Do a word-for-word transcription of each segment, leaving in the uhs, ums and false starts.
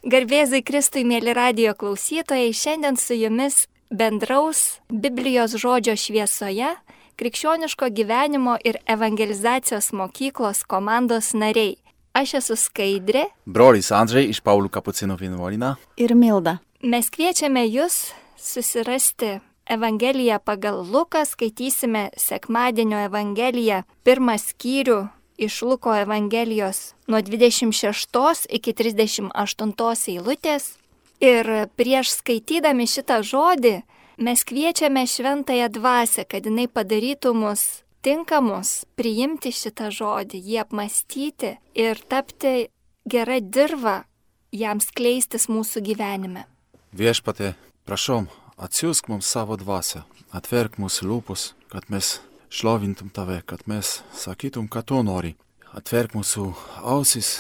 Garbėzui Kristui, mėly radijo klausytojai, šiandien su jumis bendraus Biblijos žodžio šviesoje Krikščioniško gyvenimo ir evangelizacijos mokyklos komandos nariai. Aš esu Skaidrė. Brolis Andžej iš Paulių kapucinų vienuolyno. Ir Milda. Mes kviečiame jūs susirasti Evangeliją pagal Luką, skaitysime sekmadienio Evangeliją, pirmą skyrių iš Luko Evangelijos nuo dvidešimt šeštos iki trisdešimt aštuntos eilutės. Ir prieš skaitydami šitą žodį mes kviečiame šventąją dvasią, kad jinai padarytų mus tinkamus priimti šitą žodį, jį apmąstyti ir tapti gera dirva jam skleistis mūsų gyvenime. Viešpatie, prašom, atsiųsk mums savo dvasią, atverk mūsų lūpus, kad mes šlovintum tave, kad mes sakytum, kad tu nori. Atverk mūsų ausis,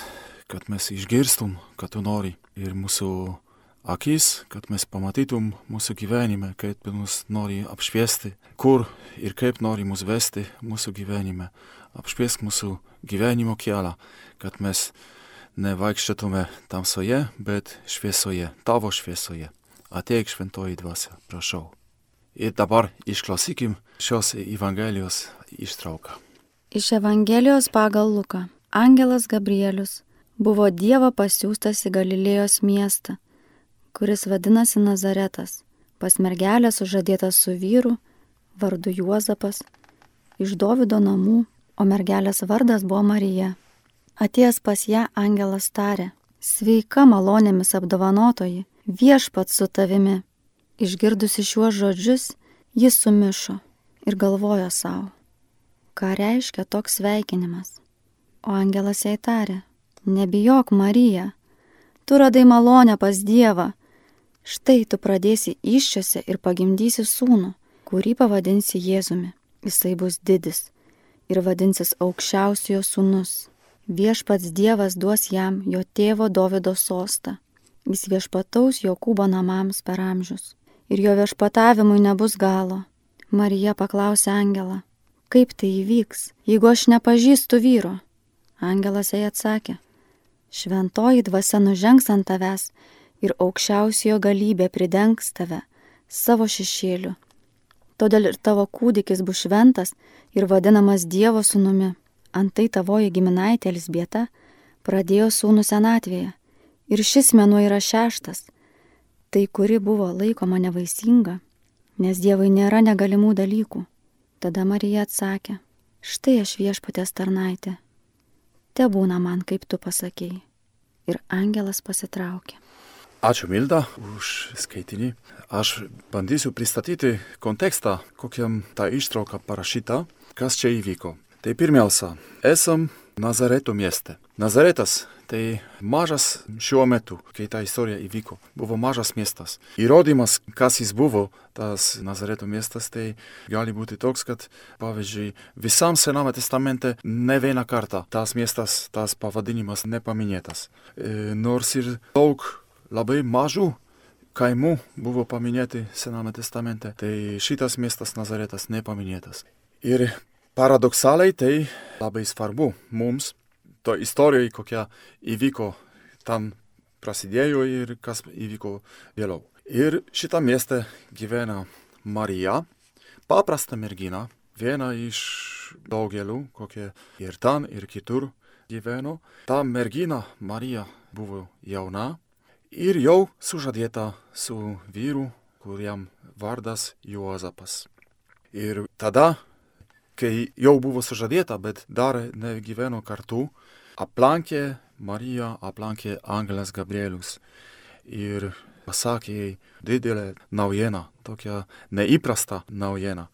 kad mes išgirstum, kad tu nori. Ir mūsų akis, kad mes pamatytum mūsų gyvenime, kaip mus nori apšviesti, kur ir kaip nori mus vesti mūsų gyvenime. Apšviesk mūsų gyvenimo kelią, kad mes nevaikščiotume tamsoje, bet šviesoje, tavo šviesoje. Ateik šventoji dvasia, prašau. Ir dabar išklausykim šios Evangelijos ištrauką. Iš Evangelijos pagal Luką. Angelas Gabrielius buvo Dievo pasiųstas į Galilėjos miestą, kuris vadinasi Nazaretas, pas mergelę sužadėtą su vyru, vardu Juozapas, iš Dovydo namų, o mergelės vardas buvo Marija. Atėjęs pas ją angelas tarė: sveika malonėmis apdovanotoji, viešpats su tavimi. Išgirdusi šiuos žodžius, jis sumišo ir galvojo savo, ką reiškia toks sveikinimas. O angelas jai tarė: nebijok, Marija, tu radai malonę pas Dievą. Štai tu pradėsi įsčiose ir pagimdysi sūnų, kurį pavadinsi Jėzumi. Jisai bus didis ir vadinsis aukščiausiojo sūnus. Viešpats Dievas duos jam jo tėvo Dovydo sostą. Jis viešpataus Jokūbo namams per amžius. Ir jo viešpatavimui nebus galo. Marija paklausė angelą: kaip tai įvyks, jeigu aš nepažįstu vyro? Angelas jai atsakė: šventoji dvasia nužengs ant tavęs ir aukščiausiojo galybė pridengs tave savo šešėliu. Todėl ir tavo kūdikis bus šventas ir vadinamas Dievo sūnumi. Antai tavoji giminaitė Elzbieta pradėjo sūnų senatvėje. Ir šis mėnuo yra šeštas, tai kuri buvo laikoma nevaisinga, nes Dievui nėra negalimų dalykų. Tada Marija atsakė: štai aš viešpaties tarnaitė, tebūna man, kaip tu pasakėjai. Ir angelas pasitraukė. Ačiū, Milda, už skaitinį. Aš bandysiu pristatyti kontekstą, kokiam ta ištrauka parašyta, kas čia įvyko. Tai pirmiausia, esam Nazareto mieste. Nazaretas tai mažas šiuo metu, kai ta istorija įvyko, buvo mažas miestas. Įrodymas, kas jis buvo, tas Nazareto miestas, tai gali būti toks, kad, pavyzdžiui, visam Sename testamente ne vieną kartą tas miestas, tas pavadinimas nepaminėtas. E, nors ir daug labai mažų kaimų buvo paminėti Sename testamente, tai šitas miestas Nazaretas nepaminėtas. Ir paradoksaliai tai labai svarbu mums, to istorijoje, kokia įvyko, ten prasidėjo ir kas įvyko vėliau. Ir šitą miestą gyvena Marija, paprasta mergina, viena iš daugelių, kokie ir ten, ir kitur gyveno. Ta mergina Marija buvo jauna ir jau sužadėta su vyru, kuriam vardas Juozapas. Ir tada, kai jau buvo sužadėta, bet dar negyveno kartu, aplankė Mariją, aplankė angelas Gabrielius ir pasakė jai didelę naujieną, tokią neįprastą naujieną,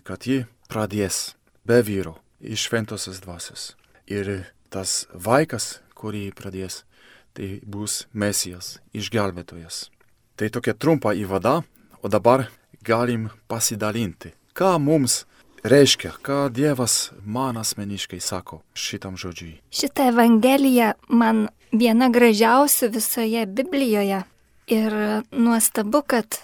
kad ji pradės be vyro iš šventosios dvasios. Ir tas vaikas, kurį pradės, tai bus Mesijas, išgelbėtojas. Tai tokia trumpa įvada, o dabar galim pasidalinti, ką mums reiškia, ką Dievas man asmeniškai sako šitam žodžiui. Šitą Evangeliją man viena gražiausių visoje Biblijoje. Ir nuostabu, kad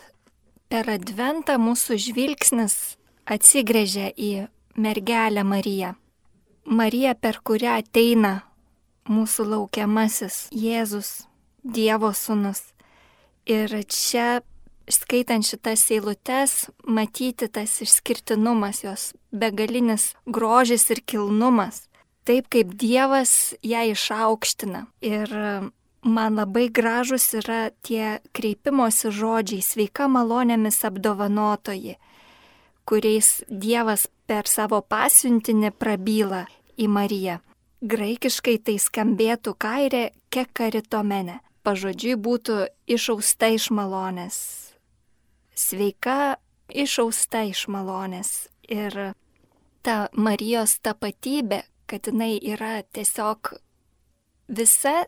per Adventą mūsų žvilgsnis atsigręžia į mergelę Mariją. Marija, per kurią ateina mūsų laukiamasis Jėzus. Dievo sūnus. Ir čia, skaitant šitas eilutes, matyti tas išskirtinumas, jos begalinis grožis ir kilnumas. Taip kaip Dievas ją išaukština. Ir man labai gražus yra tie kreipimosi žodžiai, sveika malonėmis apdovanotoji, kuriais Dievas per savo pasiuntinį prabyla į Mariją. Graikiškai tai skambėtų kairė kekaritomene. Pažodžiui būtų išausta iš malonės. Sveika išausta iš malonės. Ir ta Marijos tapatybė, kad jinai yra tiesiog visa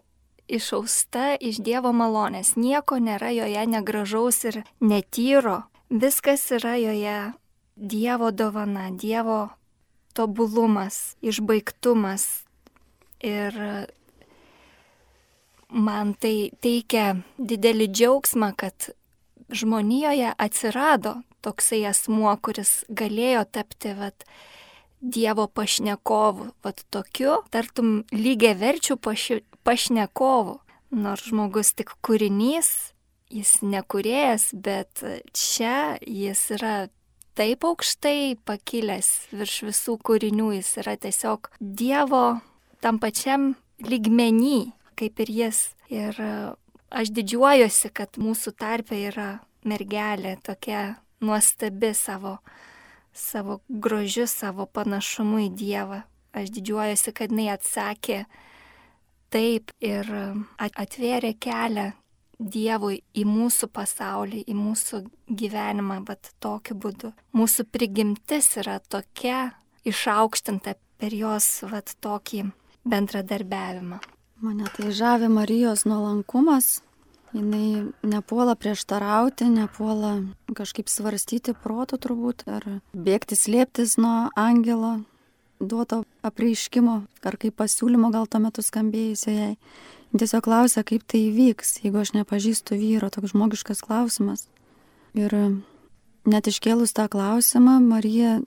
išausta iš Dievo malonės. Nieko nėra joje negražaus ir netyro. Viskas yra joje Dievo dovana, Dievo tobulumas, išbaigtumas. Ir man tai teikia didelį džiaugsmą, kad žmonijoje atsirado toksai asmuo, kuris galėjo tapti vat, Dievo pašnekovu, vat tokiu, tartum lygiaverčių paši, pašnekovu. Nors žmogus tik kūrinys, jis nekūrėjas, bet čia jis yra taip aukštai pakilęs virš visų kūrinių, jis yra tiesiog Dievo tam pačiam lygmenį, kaip ir jis. Ir aš didžiuojuosi, kad mūsų tarpe yra mergelė tokia nuostabi savo savo grožiu, savo panašumu į Dievą. Aš didžiuojuosi, kad jinai atsakė taip ir atvėrė kelią Dievui į mūsų pasaulį, į mūsų gyvenimą, bet tokiu būdu. Mūsų prigimtis yra tokia išaukštinta per jos vat, tokį bendradarbiavimą. Mane tai žavi Marijos nuolankumas. Jinai nepuola prieštarauti, nepuola kažkaip svarstyti protų turbūt, ar bėgti slėptis nuo angelo duoto apreiškimo, ar kaip pasiūlymo gal tuo metu skambėjusio jai. Tiesiog klausia, kaip tai įvyks, jeigu aš nepažįstu vyro, toks žmogiškas klausimas. Ir net iškėlus tą klausimą, Marija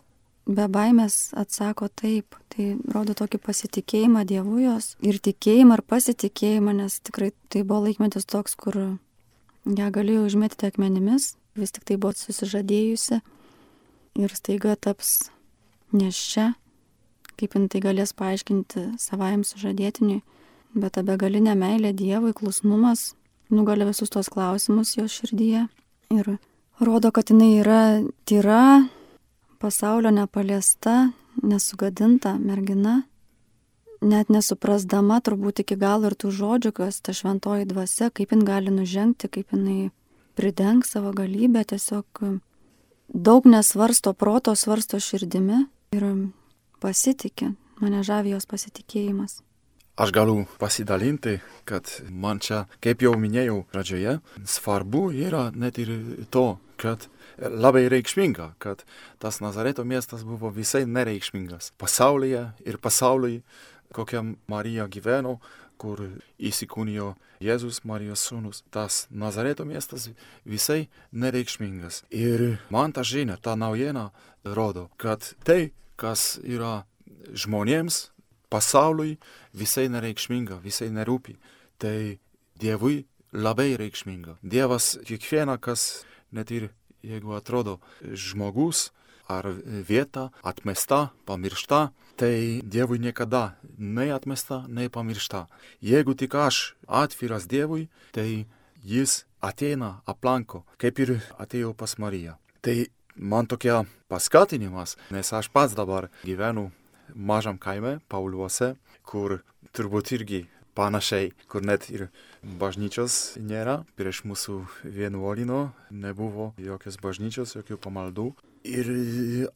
be baimės atsako taip. Tai rodo tokį pasitikėjimą Dievu jos ir tikėjimą ir pasitikėjimą, nes tikrai tai buvo laikmetis toks, kur ją galėjo užmėtyti akmenimis, vis tik tai buvo susižadėjusi ir staiga taps nėščia, kaip jin tai galės paaiškinti savajam sužadėtiniui, bet ta begalinė meilė Dievui, klusnumas nugali visus tos klausimus jos širdyje ir rodo, kad jinai yra tyra, pasaulio nepaliesta, nesugadinta mergina, net nesuprasdama turbūt iki galo ir tų žodžių, kas ta šventoji dvasia, kaip jin gali nužengti, kaip jinai pridengs savo galybę, tiesiog daug nesvarsto proto, svarsto širdimi ir pasitikė. Mane žavi jos pasitikėjimas. Aš galiu pasidalinti, kad man čia, kaip jau minėjau pradžioje, svarbu yra net ir to, kad labai reikšminga, kad tas Nazareto miestas buvo visai nereikšmingas pasaulyje ir pasauliui, kokiam Marija gyveno, kur įsikūnijo Jėzus, Marijos sūnus. Tas Nazareto miestas visai nereikšmingas. Ir man ta žinia, ta naujiena rodo, kad tai, kas yra žmonėms, pasauliui visai nereikšminga, visai nerūpi. Tai Dievui labai reikšminga. Dievas kiekvieną, kas net ir jeigu atrodo žmogus ar vieta atmesta, pamiršta, tai Dievui niekada nei atmesta, nei pamiršta. Jeigu tik aš atviras Dievui, tai jis ateina, aplanko, kaip ir atėjo pas Mariją. Tai man tokia paskatinimas, nes aš pats dabar gyvenu mažam kaime, Pauliuose, kur turbūt irgi panašiai, kur net ir bažnyčios nėra. Prieš mūsų vienuolino nebuvo jokios bažnyčios, jokių pamaldų. Ir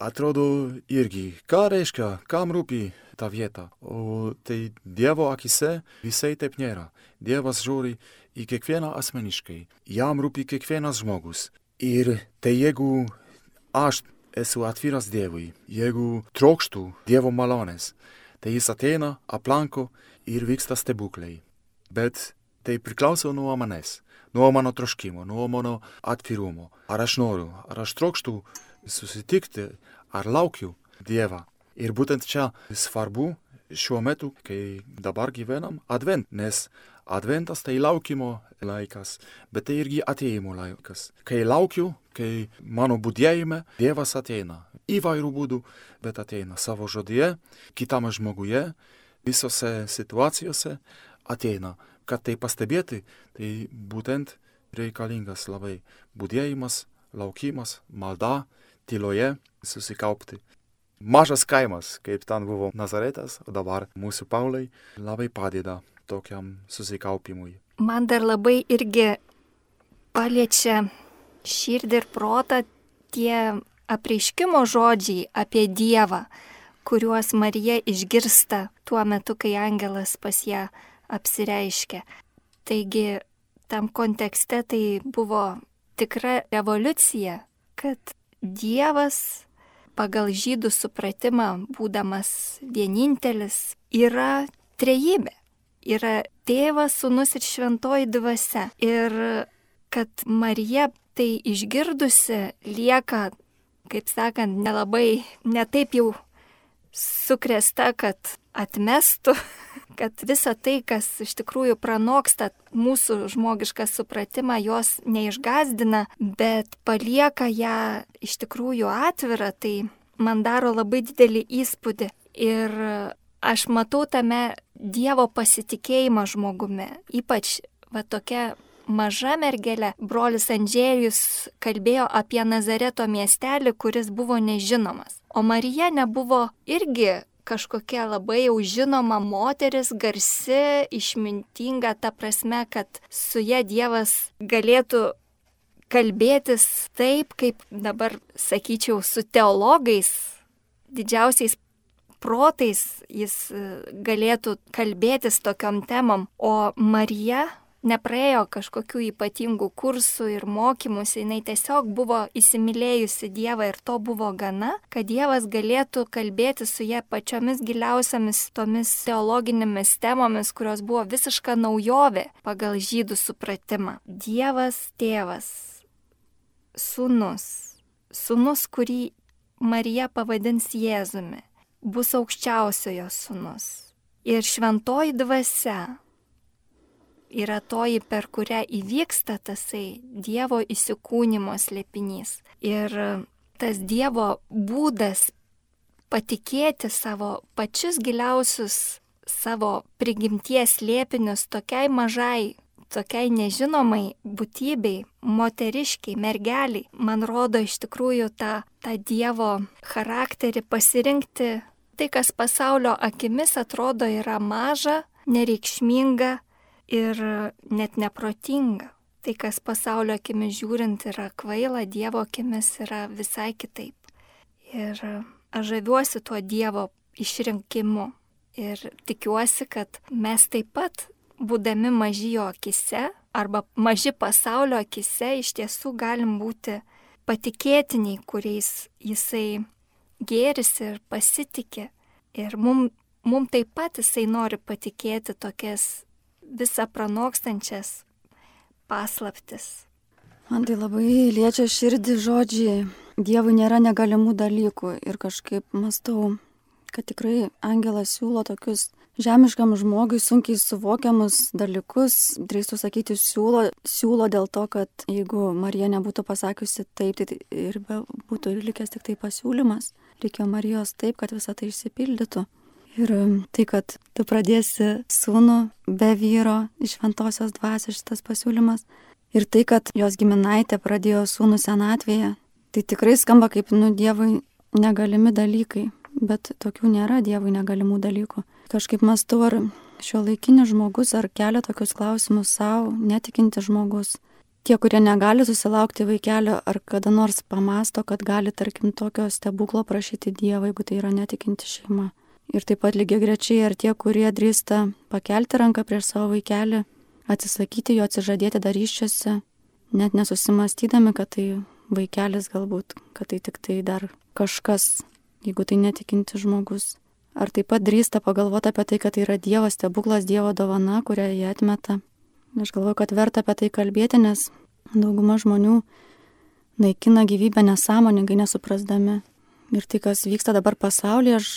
atrodo irgi, ką reiškia, kam rūpi ta vieta. O tai Dievo akise visai taip nėra. Dievas žiūri į kiekvieną asmeniškai. Jam rūpi kiekvienas žmogus. Ir tai jeigu aš esu atviras Dievui, jeigu trokštų Dievo malonės, tai jis ateina, aplanko ir vyksta stebuklai. Bet tai priklauso nuo manęs, nuo mano troškimo, nuo mano atvirumo. Ar aš noriu, ar aš trokštų susitikti, ar laukiu Dievą. Ir būtent čia svarbu šiuo metu, kai dabar gyvenam, advent, nes Adventas tai laukimo laikas, bet tai irgi atėjimo laikas. Kai laukiu, kai mano budėjime Dievas ateina. Įvairių būdų, bet ateina savo žodyje, kitame žmoguje, visose situacijose ateina. Kad tai pastebėti, tai būtent reikalingas labai budėjimas, laukimas, malda, tyloje susikaupti. Mažas kaimas, kaip ten buvo Nazaretas, o dabar mūsų Paulai labai padeda tokiam susikaupimui. Man dar labai irgi paliečia širdį ir protą tie apreiškimo žodžiai apie Dievą, kuriuos Marija išgirsta tuo metu, kai angelas pas ją apsireiškia. Taigi tam kontekste tai buvo tikra revoliucija, kad Dievas pagal žydų supratimą, būdamas vienintelis, yra trejybė. Yra Tėvas, Sūnus ir Šventoji Dvasia. Ir kad Marija tai išgirdusi lieka, kaip sakant, nelabai, netaip jau sukrėsta, kad atmestų, kad visa tai, kas iš tikrųjų pranoksta mūsų žmogišką supratimą, jos neišgazdina, bet palieka ją iš tikrųjų atvirą, tai man daro labai didelį įspūdį. Ir aš matau tame Dievo pasitikėjimą žmogumi, ypač va tokia maža mergelė. Brolis Andžėjus kalbėjo apie Nazareto miestelį, kuris buvo nežinomas. O Marija nebuvo irgi kažkokia labai jau žinoma moteris, garsi, išmintinga, ta prasme, kad su ja Dievas galėtų kalbėtis taip, kaip dabar, sakyčiau, su teologais, didžiausiais protais jis galėtų kalbėtis tokiom temom. O Marija nepraėjo kažkokių ypatingų kursų ir mokymus, jinai tiesiog buvo įsimylėjusi Dievą ir to buvo gana, kad Dievas galėtų kalbėti su ja pačiomis giliausiamis tomis teologinėmis temomis, kurios buvo visiška naujovė pagal žydų supratimą. Dievas tėvas, sūnus, sūnus, kurį Marija pavadins Jėzumi, bus aukščiausiojo sūnus. Ir šventoji dvasia yra toji, per kurią įvyksta tasai Dievo įsikūnimo slėpinys. Ir tas Dievo būdas patikėti savo pačius giliausius savo prigimties slėpinius tokiai mažai, tokiai nežinomai būtybei, moteriškiai, mergeliai, man rodo iš tikrųjų tą, tą Dievo charakterį pasirinkti tai, kas pasaulio akimis atrodo yra maža, nereikšminga ir net neprotinga. Tai, kas pasaulio akimis žiūrint yra kvaila, Dievo akimis yra visai kitaip. Ir aš žaviuosi tuo Dievo išrinkimu ir tikiuosi, kad mes taip pat, būdami maži jo akise arba maži pasaulio akise, iš tiesų galim būti patikėtiniai, kuriais jisai gėrisi ir pasitikė. Ir mum, mum taip pat jisai nori patikėti tokias visą pranokstančias paslaptis. Man tai labai liečia širdį žodžiai. Dievui nėra negalimų dalykų ir kažkaip mąstau, kad tikrai angelas siūlo tokius žemiškam žmogui sunkiai suvokiamus dalykus. Drįstu sakyti, siūlo, siūlo dėl to, kad jeigu Marija nebūtų pasakiusi taip, tai ir be, būtų ir likęs tik tai pasiūlymas. Reikėjo Marijos taip, kad visą tai išsipildytų. Ir tai, kad tu pradėsi sūnų be vyro iš šventosios dvasios, šitas pasiūlymas. Ir tai, kad jos giminaitė pradėjo sūnų senatvėje, tai tikrai skamba kaip, nu, Dievui negalimi dalykai. Bet tokių nėra Dievui negalimų dalykų. Kažkaip mąstau, ar šiuolaikinis žmogus, ar kelia tokius klausimus savo, netikinti žmogus. Tie, kurie negali susilaukti vaikelio, ar kada nors pamasto, kad gali, tarkim, tokio stebuklo prašyti Dievą, jeigu tai yra netikinti šeima. Ir taip pat lygiai grečiai, ar tie, kurie drįsta pakelti ranką prieš savo vaikelį, atsisakyti jo, atsižadėti darysčiose, net nesusimastydami, kad tai vaikelis galbūt, kad tai tik tai dar kažkas, jeigu tai netikinti žmogus. Ar taip pat drįsta pagalvoti apie tai, kad tai yra Dievo stebuklas, Dievo dovana, kurią jie atmeta. Aš galvoju, kad verta apie tai kalbėti, nes dauguma žmonių naikina gyvybę nesąmoningai, nesuprasdami. Ir tai, kas vyksta dabar pasaulyje, aš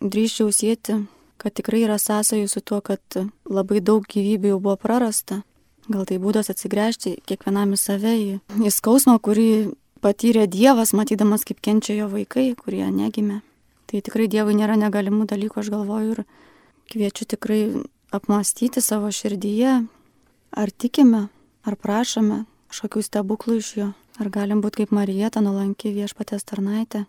drįsčiau sieti, kad tikrai yra sąsajų su tuo, kad labai daug gyvybių jau buvo prarasta. Gal tai būdas atsigręžti kiekvienam į save, į, į skausmą, kurį patyrė Dievas, matydamas, kaip kenčia jo vaikai, kurie negimė. Tai tikrai Dievui nėra negalimų dalykų, aš galvoju, ir kviečiu tikrai apmąstyti savo širdyje, ar tikime, ar prašome kažkokių stebuklų iš jo, ar galim būti kaip Marija, ta nuolanki Viešpaties tarnaitė.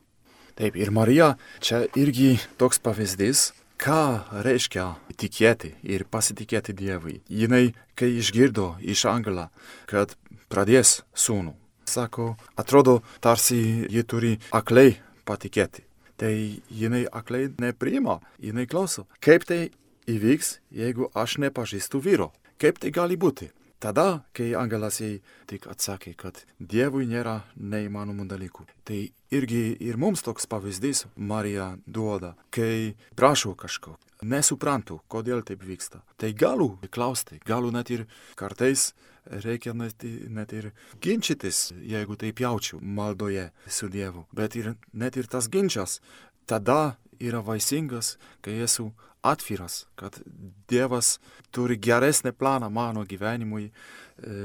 Taip, ir Marija čia irgi toks pavyzdys, ką reiškia tikėti ir pasitikėti Dievui. Jinai, kai išgirdo iš angelą, kad pradės sūnų, sako, atrodo, tarsi ji turi aklai patikėti. Tai jinai aklai nepriima, jinai klauso. Kaip tai įvyks, jeigu aš nepažįstu vyro? Kaip tai gali būti? Tada, kai angelas jai tik atsakė, kad Dievui nėra neįmanomų dalykų. Tai irgi ir mums toks pavyzdys Marija duoda, kai prašau kažko, nesuprantu, kodėl taip vyksta. Tai galiu klausti, galiu net ir kartais reikia net, net ir ginčytis, jeigu taip jaučiu maldoje su Dievu. Bet ir, net ir tas ginčas tada yra vaisingas, kai esu atviras, kad Dievas turi geresnį planą mano gyvenimui,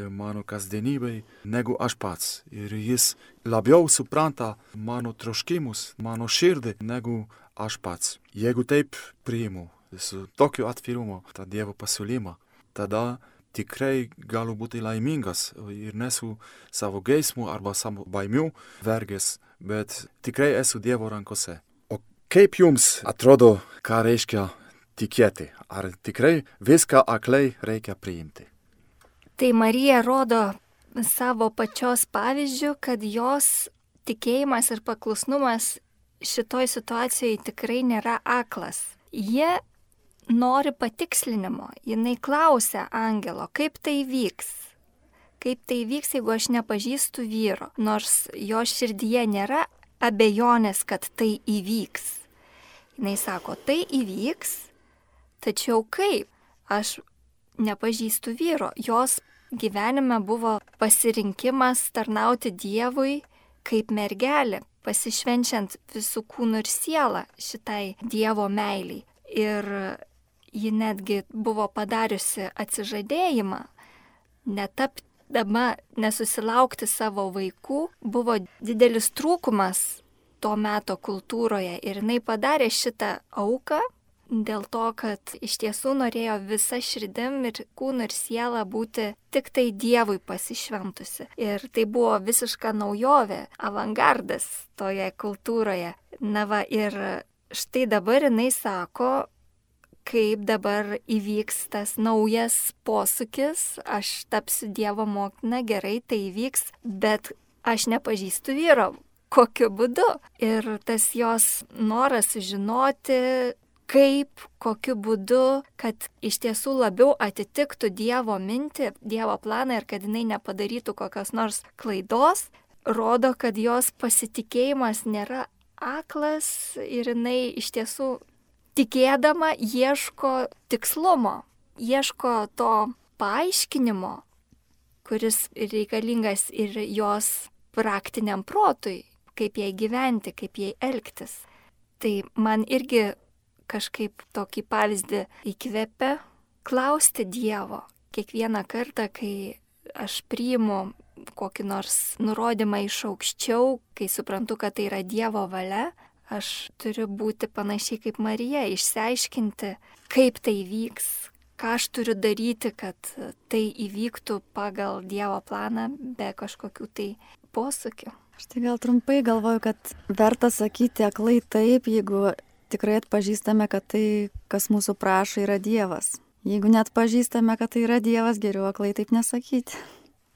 mano kasdienybei, negu aš pats. Ir jis labiau supranta mano troškimus, mano širdį, negu aš pats. Jeigu taip priimu su tokiu atvirumu tą Dievo pasiūlymą, tada tikrai galiu būti laimingas ir nesu savo geismų arba savo baimių vergės, bet tikrai esu Dievo rankose. O kaip jums atrodo, ką reiškia tikėti? Ar tikrai viską aklai reikia priimti? Tai Marija rodo savo pačios pavyzdžių, kad jos tikėjimas ir paklusnumas šitoj situacijoje tikrai nėra aklas. Jie nori patikslinimo. Jinai klausia angelo, kaip tai vyks. Kaip tai vyks, jeigu aš nepažįstu vyro. Nors jo širdyje nėra abejonės, kad tai įvyks. Jinai sako, tai įvyks, tačiau kaip? Aš nepažįstu vyro. Jos gyvenime buvo pasirinkimas tarnauti Dievui kaip mergelė, pasišvenčiant visų kūnų ir sielą šitai Dievo meiliai. Ir ji netgi buvo padariusi atsižadėjimą, netapdama, nesusilaukti savo vaikų, buvo didelis trūkumas to meto kultūroje. Ir jinai padarė šitą auką dėl to, kad iš tiesų norėjo visa širdim ir kūnu ir siela būti tik tai Dievui pasišventusi. Ir tai buvo visiška naujovė, avangardas toje kultūroje. Na va, ir štai dabar jinai sako, kaip dabar įvyks tas naujas posūkis, aš tapsiu Dievo motina, gerai, tai įvyks, bet aš nepažįstu vyro. Kokiu būdu? Ir tas jos noras žinoti, kaip, kokiu būdu, kad iš tiesų labiau atitiktų Dievo mintį, Dievo planą ir kad jinai nepadarytų kokios nors klaidos, rodo, kad jos pasitikėjimas nėra aklas ir jinai iš tiesų tikėdama ieško tikslumo, ieško to paaiškinimo, kuris reikalingas ir jos praktiniam protui, kaip jai gyventi, kaip jai elgtis. Tai man irgi kažkaip tokį pavyzdį įkvepia klausti Dievo. Kiekvieną kartą, kai aš priimu kokį nors nurodymą iš aukščiau, kai suprantu, kad tai yra Dievo valia, aš turiu būti panašiai kaip Marija, išsiaiškinti, kaip tai vyks, ką aš turiu daryti, kad tai įvyktų pagal Dievo planą be kažkokių tai posūkių. Aš tai gal trumpai galvoju, kad verta sakyti aklai taip, jeigu tikrai atpažįstame, kad tai, kas mūsų prašo, yra Dievas. Jeigu net pažįstame, kad tai yra Dievas, geriau aklai taip nesakyti.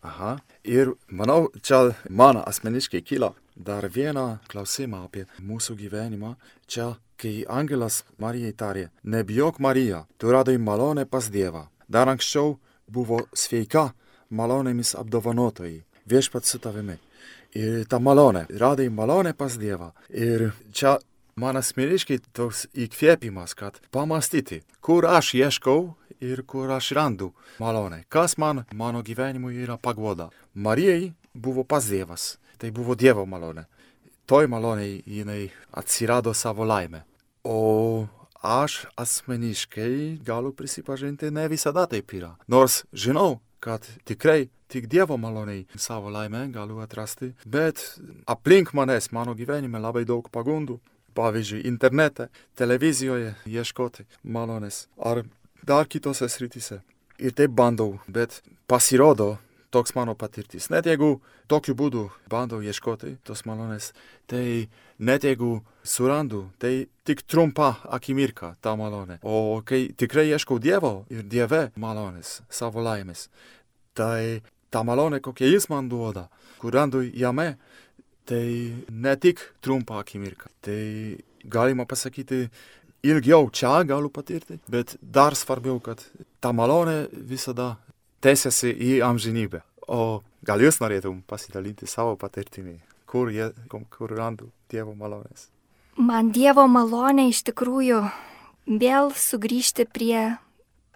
Aha. Ir manau, čia man asmeniškai kyla dar vieną klausimą apie mūsų gyvenimą. Čia, kai angelas Marijai tarė, nebijok Marija, tu radai malonę pas Dievą. Dar anksčiau buvo sveika malonėmis apdovanotojai, viešpats su tavimi. Ir ta malonė, radai malonę pas Dievą. Ir čia man asmeniškai toks įkvėpimas, kad pamastyti, kur aš ieškau ir kur aš randu malonę. Kas man, mano gyvenimui yra paguoda. Marijai buvo pas Dievas, tai buvo Dievo malonė. Toj malonėj jinai atsirado savo laimę. O aš asmeniškai galiu prisipažinti, ne visada taip yra. Nors žinau, kad tikrai tik Dievo maloniai savo laimę galiu atrasti, bet aplink manęs, mano gyvenime labai daug pagundų. Pavyzdžiui, internete, televizijoje ieškoti malonės ar dar kitose srityse. Ir taip bandau, bet pasirodo toks mano patirtis. Net jeigu tokiu būdu bandau ieškoti tos malonės, tai net jeigu surandu, tai tik trumpa akimirka ta malonė. O kai tikrai ieškau Dievo ir Dieve malonės, savo laimės, tai ta malonė, kokia jis man duoda, kur randu jame, tai ne tik trumpa akimirka. Tai galima pasakyti, ilgiau čia galiu patirti, bet dar svarbiau, kad ta malonė visada tęsiasi į amžinybę. O gal jūs norėtum pasidalinti savo patirtimi, kur, jie, kur randu Dievo malonės? Man Dievo malonė iš tikrųjų vėl sugrįžti prie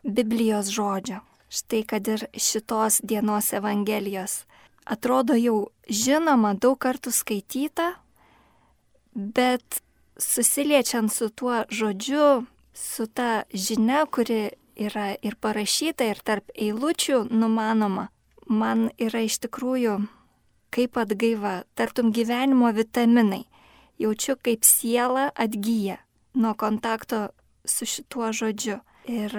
Biblijos žodžio. Štai kad ir šitos dienos Evangelijos. Atrodo jau žinoma, daug kartų skaityta, bet susiliečiant su tuo žodžiu, su ta žinia, kuri yra ir parašyta, ir tarp eilučių numanoma, man yra iš tikrųjų kaip atgaiva, tartum gyvenimo vitaminai. Jaučiu, kaip siela atgyja nuo kontakto su šituo žodžiu. Ir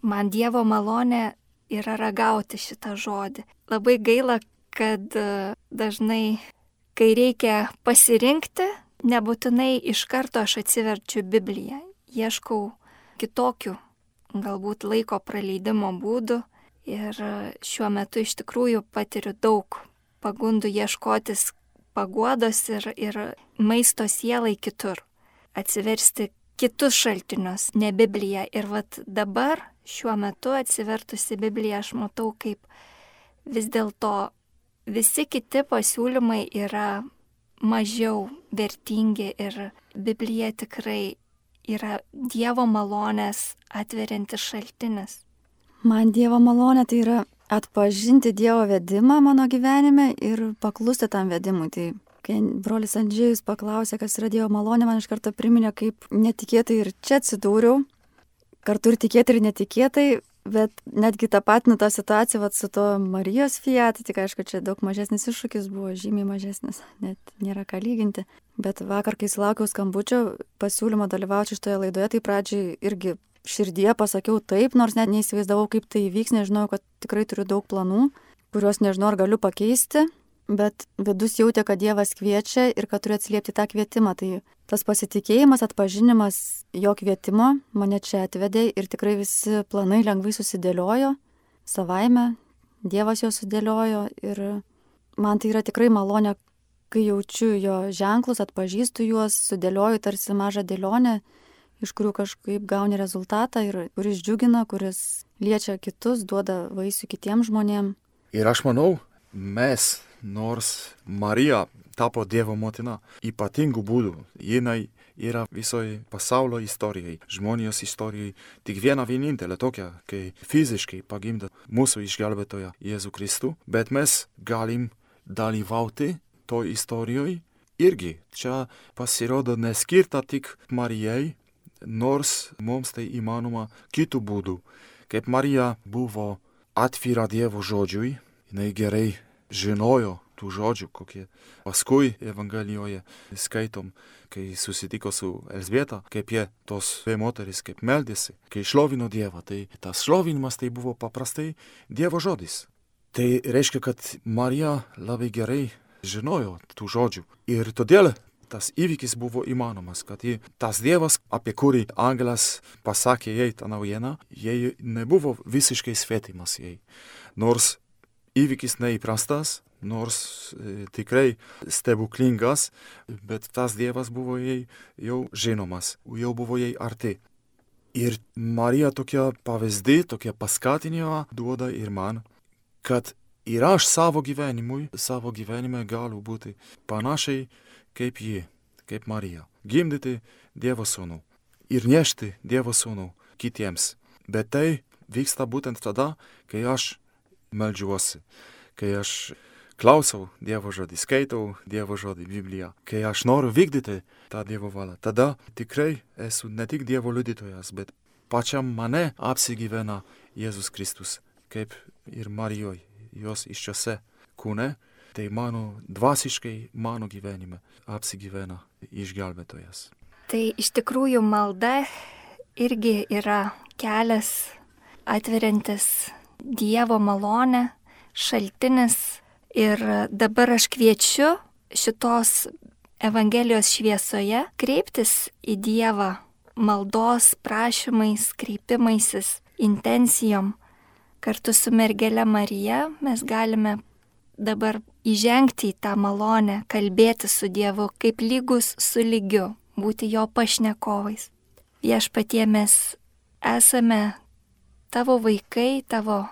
man Dievo malonė yra ragauti šitą žodį. Labai gaila, kad dažnai, kai reikia pasirinkti, nebūtinai iš karto aš atsiverčiu Bibliją. Ieškau kitokių galbūt laiko praleidimo būdų ir šiuo metu iš tikrųjų patiriu daug pagundų ieškotis paguodos ir, ir maisto sielai kitur, atsiversti kitus šaltinius, ne Bibliją. Ir vat dabar šiuo metu atsivertusi Bibliją aš matau, kaip vis dėlto visi kiti pasiūlymai yra mažiau vertingi ir Biblija tikrai yra Dievo malonės atveriantis šaltinis. Man Dievo malonė tai yra atpažinti Dievo vedimą mano gyvenime ir paklusti tam vedimui. Tai kai brolis Andžėjus paklausė, kas yra Dievo malonė, man iš karto priminė, kaip netikėtai ir čia atsidūriau, kartu ir tikėtai ir netikėtai, bet netgi tą patinu tą situaciją vat, su to Marijos Fiat, tik aišku, čia daug mažesnis iššūkis buvo, žymiai mažesnis, net nėra ką lyginti. Bet vakar, kai sulaukiau skambučio pasiūlymo dalyvauti šitoje laidoje, tai pradžiai irgi širdie pasakiau taip, nors net neįsivaizdavau, kaip tai įvyks, nežinau, kad tikrai turiu daug planų, kuriuos nežinau, ar galiu pakeisti, bet vidus jautė, kad Dievas kviečia ir kad turiu atsiliepti tą kvietimą. Tai tas pasitikėjimas, atpažinimas jo kvietimo mane čia atvedė ir tikrai visi planai lengvai susidėliojo savaime, Dievas juos sudėliojo ir man tai yra tikrai malonė, kai jaučiu jo ženklus, atpažįstu juos, sudėlioju tarsi mažą dėlionę, iš kurių kažkaip gauni rezultatą ir kuris džiugina, kuris liečia kitus, duoda vaisių kitiems žmonėms. Ir aš manau, mes, nors Marija tapo Dievo motina ypatingų būdų, jinai yra visoje pasaulio istorijai, žmonijos istorijai tik viena vienintelė tokia, kai fiziškai pagimdė mūsų išgelbėtoją Jėzų Kristų, bet mes galim dalyvauti to istorijoje irgi. Čia pasirodo neskirta tik Marijai, nors mums tai įmanoma kitų būdų. Kaip Marija buvo atvira Dievo žodžiui, jinai gerai žinojo tų žodžių, kokie paskui Evangelijoje skaitom, kai susitiko su Elzbieta, kaip jie tos dvi moteris, kaip meldėsi, kai šlovino Dievą. Tai tas šlovinimas tai buvo paprastai Dievo žodis. Tai reiškia, kad Marija labai gerai žinojo tų žodžių. Ir todėl tas įvykis buvo įmanomas, kad jį, tas Dievas, apie kurį angelas pasakė jai tą naujieną, jai nebuvo visiškai svetimas jai. Nors įvykis neįprastas, nors e, tikrai stebuklingas, bet tas Dievas buvo jai jau žinomas, jau buvo jai arti. Ir Marija tokia pavyzdį, tokia paskatinimą duoda ir man, kad ir aš savo gyvenimui, savo gyvenime galiu būti panašiai kaip ji, kaip Marija. Gimdyti Dievo sūnų ir nešti Dievo sūnų kitiems. Bet tai vyksta būtent tada, kai aš meldžiuosi, kai aš klausau Dievo žodį, skaitau Dievo žodį, Bibliją, kai aš noriu vykdyti tą Dievo valią, tada tikrai esu ne tik Dievo liudytojas, bet pačiam mane apsigyvena Jėzus Kristus, kaip ir Marijoje, jos iščiose kūne, tai mano dvasiškai, mano gyvenime apsigyvena išgelbėtojas. Tai iš tikrųjų malda irgi yra kelias atveriantis Dievo malonę, šaltinis. Ir dabar aš kviečiu šitos Evangelijos šviesoje kreiptis į Dievą maldos prašymais, kreipimaisis, intencijom. Kartu su mergele Marija mes galime dabar įžengti į tą malonę, kalbėti su Dievu kaip lygus su lygiu, būti jo pašnekovais. Viešpatie, mes esame tavo vaikai, tavo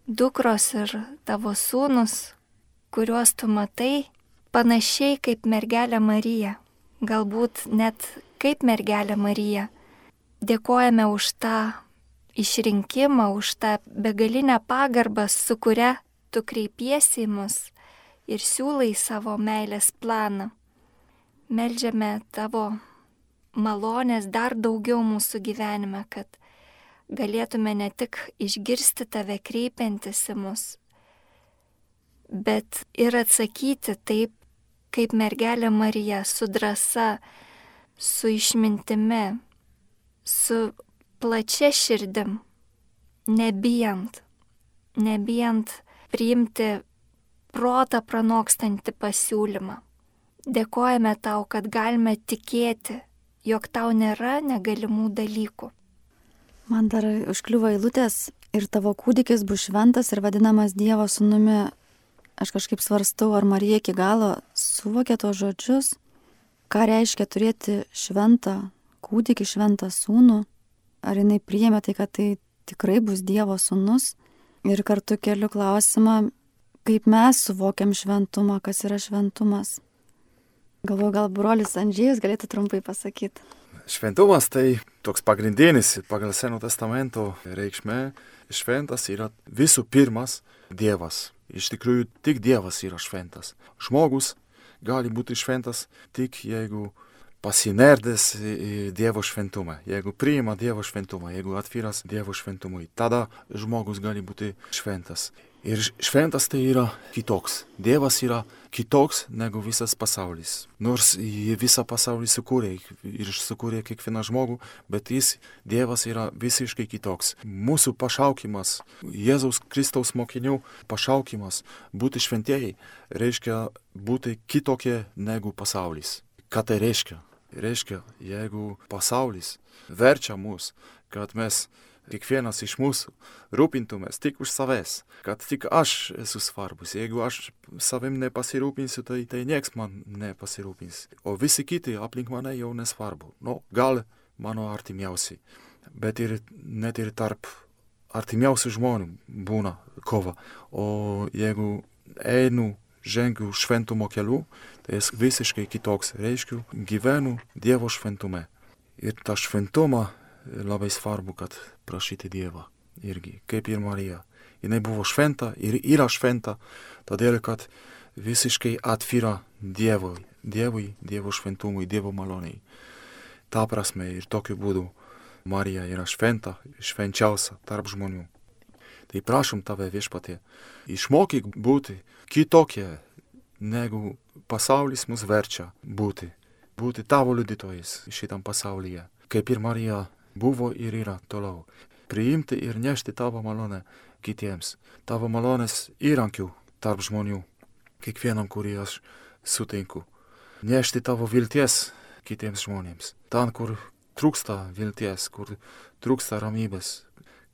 dukros ir tavo sūnus, kuriuos tu matai panašiai kaip mergelė Marija, galbūt net kaip mergelė Marija. Dėkojame už tą išrinkimą, už tą begalinę pagarbą, su kuria tu kreipiesi į mus ir siūlai savo meilės planą. Meldžiame tavo malonės dar daugiau mūsų gyvenime, kad galėtume ne tik išgirsti tave kreipiantis į mus, bet ir atsakyti taip, kaip mergelė Marija, su drąsa, su išmintimi, su plačia širdim, nebijant, nebijant priimti protą pranokstantį pasiūlymą. Dėkojame tau, kad galime tikėti, jog tau nėra negalimų dalykų. Man dar užkliuvo eilutės ir tavo kūdikis bus šventas ir vadinamas Dievo sūnumi. Aš kažkaip svarstau, ar Marija iki galo suvokė tos žodžius, ką reiškia turėti šventą kūdikį, šventą sūnų, ar jinai priėmė tai, kad tai tikrai bus Dievo sūnus. Ir kartu keliu klausimą, kaip mes suvokiam šventumą, kas yra šventumas. Galvoju, gal brolis Andžėjus galėtų trumpai pasakyti. Šventumas tai toks pagrindinis pagal Seno testamento reikšmė. Šventas yra visų pirmas Dievas. Iš tikrųjų, tik Dievas yra šventas. Žmogus gali būti šventas tik jeigu pasinerdęs į Dievo šventumą, jeigu priima Dievo šventumą, jeigu atviras Dievo šventumui, tada žmogus gali būti šventas. Ir šventas tai yra kitoks. Dievas yra kitoks negu visas pasaulis. Nors jį visą pasaulį sukūrė ir sukūrė kiekvieną žmogų, bet jis, Dievas, yra visiškai kitoks. Mūsų pašaukimas, Jėzaus Kristaus mokinių pašaukimas būti šventieji reiškia būti kitokie negu pasaulis. Ką tai reiškia? Reiškia, jeigu pasaulis verčia mus, kad mes kiekvienas iš mūsų rūpintumės tik už savęs, kad tik aš esu svarbus. Jeigu aš savim nepasirūpinsiu, tai, tai nieks man nepasirūpins. O visi kiti aplink mane jau nesvarbu. Nu, gal mano artimiausi, bet ir net ir tarp artimiausių žmonių būna kova. O jeigu einu, žengiu šventumo keliu, tai esu visiškai kitoks. Reiškiu, gyvenu Dievo šventume. Ir tą šventumą labai svarbu, kad prašyti Dievą irgi, kaip ir Marija. Jinai buvo šventa ir yra šventa, todėl, kad visiškai atvira Dievui, Dievui, Dievo šventumui, Dievo maloniai. Ta prasme ir tokiu būdu Marija yra šventa, švenčiausia tarp žmonių. Tai prašom tave, Viešpatie, išmokyk būti kitokie, negu pasaulis mus verčia būti. Būti tavo liudytojais šitam pasaulyje, kaip ir Marija buvo ir yra toliau. Priimti ir nešti tavo malonę kitiems. Tavo malonės įrankių tarp žmonių, kiekvienam, kurį aš sutinku. Nešti tavo vilties kitiems žmonėms. Ten, kur trūksta vilties, kur trūksta ramybės,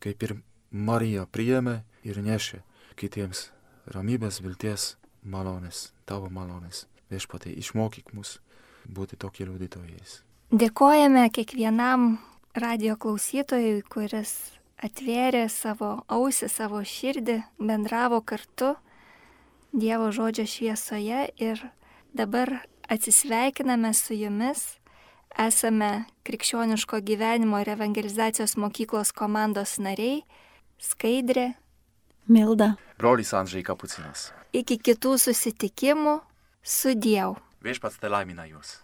kaip ir Marija priėmė ir nešė kitiems ramybės, vilties, malonės, tavo malonės. Viešpatie, išmokyk mus būti tokie liudytojais. Dėkojame kiekvienam radio klausytojui, kuris atvėrė savo ausį, savo širdį, bendravo kartu Dievo žodžio šviesoje ir dabar atsisveikiname su jumis. Esame Krikščioniško gyvenimo ir evangelizacijos mokyklos komandos nariai Skaidrė, Milda, brolis Andžej Kapucinas. Iki kitų susitikimų. Sudiev. Viešpats te laimina jūs.